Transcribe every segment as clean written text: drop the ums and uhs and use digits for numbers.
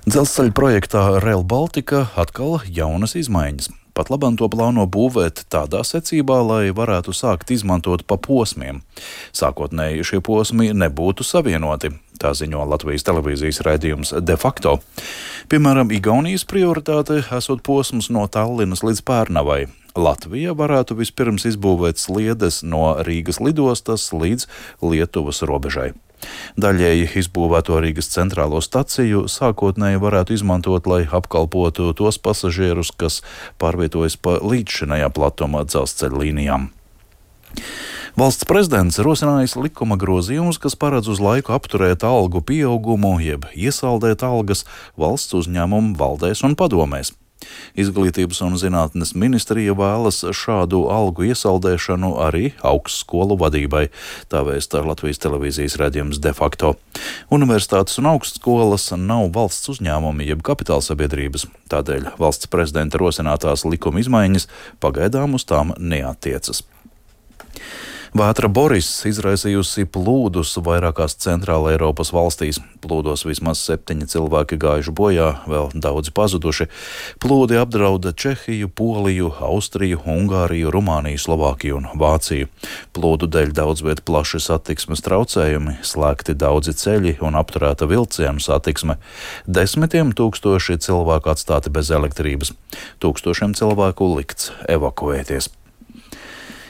Dzelzceļa projektā Rail Baltica atkal jaunas izmaiņas. Pat labam to plāno būvēt tādā secībā, lai varētu sākt izmantot pa posmiem. Sākotnēji šie posmi nebūtu savienoti, tā ziņo Latvijas televīzijas raidījums De facto. Piemēram, Igaunijas prioritāte esot posms no Tallinas līdz Pērnavai. Latvija varētu vispirms izbūvēt sliedes no Rīgas lidostas līdz Lietuvas robežai. Daļēji izbūvēto Rīgas centrālo staciju sākotnēji varētu izmantot, lai apkalpotu tos pasažierus, kas pārvietojas pa līdzšinējā platuma dzelzceļa līnijām. Valsts prezidents rosinājis likuma grozījumus, kas paredz uz laiku apturēt algu pieaugumu, jeb iesaldēt algas valsts uzņēmumu valdēs un padomēs. Izglītības un zinātnes ministrija vēlas šādu algu iesaldēšanu arī augstskolu vadībai, tā vēsta Latvijas televīzijas raidījums De facto. Universitātes un augstskolas nav valsts uzņēmumi jeb kapitālsabiedrības, tādēļ valsts prezidenta rosinātās likuma izmaiņas pagaidām uz tām neattiecas. Vētra Boris izraisījusi plūdus vairākās centrāla Eiropas valstīs. Plūdos vismaz 7 cilvēki gājuši bojā, vēl daudzi pazuduši. Plūdi apdrauda Čehiju, Poliju, Austriju, Ungāriju, Rumāniju, Slovākiju un Vāciju. Plūdu dēļ daudz viet plaši satiksmes traucējumi, slēgti daudzi ceļi un apturēta vilcienu satiksme. Desmitiem tūkstoši cilvēku atstāti bez elektrības. Tūkstošiem cilvēku likts evakuēties.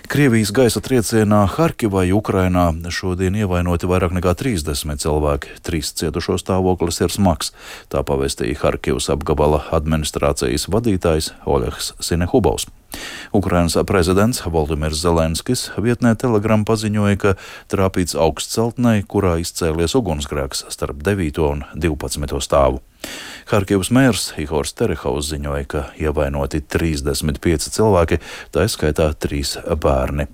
Krievijas gaisa triecienā Harkivai, Ukrainā, šodien ievainoti vairāk nekā 30 cilvēki. 3 cietušo stāvoklis ir smags, tā pavēstīja Harkivas apgabala administrācijas vadītājs Oļegs Sinehubovs. Ukrainas prezidents Voldimirs Zelenskis vietnē Telegram paziņoja, ka trāpīts augstceltnei, kurā izcēlies ugunsgrēks starp 9. un 12. stāvu. Harkivas mērs Ihors Terehaus ziņoja, ka ievainoti 35 cilvēki, tā skaitā 3 bērni.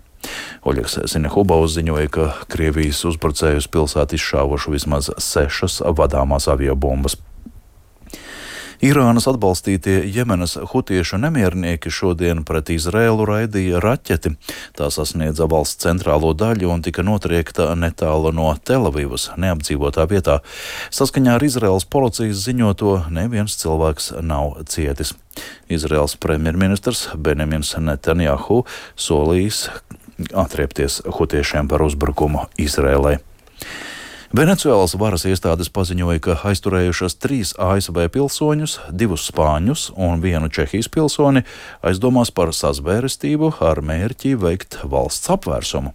Oļegs Sinehubovs ziņoja, ka Krievijas uzbrucējus pilsētu izšāvuši vismaz 6 vadāmās aviobumbas. Irānas atbalstītie Jemenas hutiešu nemiernieki šodien pret Izraēlu raidīja raķeti. Tā sasniedza valsts centrālo daļu un tika notriekta netālu no Telavivas, neapdzīvotā vietā. Saskaņā ar Izraēlas policijas ziņoto neviens cilvēks nav cietis. Izraēlas premjerministrs Benjamins Netanjahu solījis atriepties hutiešiem par uzbrukumu Izraēlai. Venecuēlas varas iestādes paziņoja, ka aizturējušas 3 ASV pilsoņus, 2 spāņus un 1 Čehijas pilsoni aizdomās par sazvērestību ar mērķi veikt valsts apvērsumu.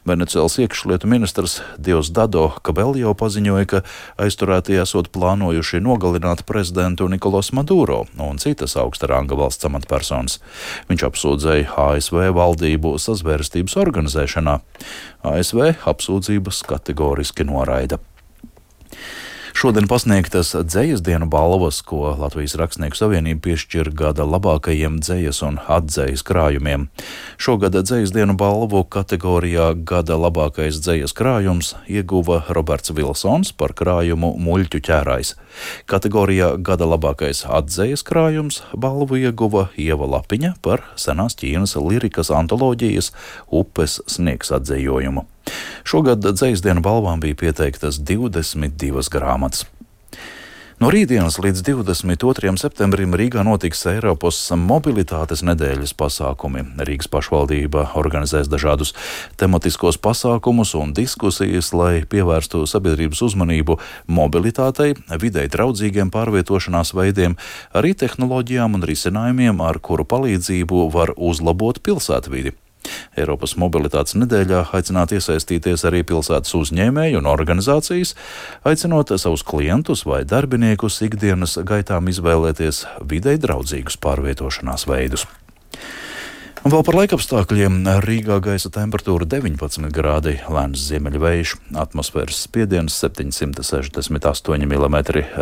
Venecuēlas iekšlietu ministrs Diosdado Cabello paziņoja, ka aizturētie esot plānojuši nogalināt prezidentu Nikolas Maduro un citas augsta ranga valsts amatpersonas. Viņš apsūdzēja ASV valdību sazvērstības organizēšanā. ASV apsūdzības kategoriski noraida. Šodien pasniegtas dzejas dienu balvas, ko Latvijas Rakstnieku savienība piešķir gada labākajiem dzejas un atdzejas krājumiem. Šogad dzejas dienu balvu kategorijā gada labākais dzejas krājums ieguva Roberts Vilsons par krājumu Muļķu ķērājs. Kategorijā gada labākais atdzejas krājums balvu ieguva Ieva Lapiņa par senās Ķīnas lirikas antoloģijas Upes sniegs atdzejojumu. Šogad dzejas dienu balvām bija pieteiktas 22 grāmatas. No rītdienas līdz 22. septembrim Rīgā notiks Eiropas mobilitātes nedēļas pasākumi. Rīgas pašvaldība organizēs dažādus tematiskos pasākumus un diskusijas, lai pievērstu sabiedrības uzmanību mobilitātei, videi draudzīgiem pārvietošanās veidiem, arī tehnoloģijām un risinājumiem, ar kuru palīdzību var uzlabot pilsētvidi. Eiropas mobilitātes nedēļā aicināt iesaistīties arī pilsētas uzņēmēju un organizācijas, aicinot savus klientus vai darbiniekus ikdienas gaitām izvēlēties videi draudzīgus pārvietošanās veidus. Un vēl par laikapstākļiem. Rīgā gaisa temperatūra 19 grādi, lēns ziemeļvējš, atmosfēras spiediens 768 mm,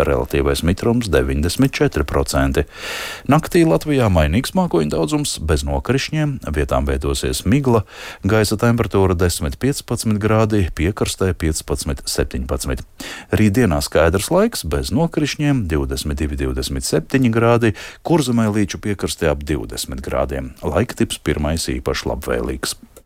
relatīvais mitrums 94%. Naktī Latvijā mainīgs mākoņu daudzums, bez nokrišņiem, vietām veidosies migla, gaisa temperatūra 10-15 grādi, piekrastē 15-17. Rītdienā skaidrs laiks, bez nokrišņiem 22-27 grādi, Kurzemē līču piekrastē ap 20 grādiem. Laika tips pirmais īpaši labvēlīgs.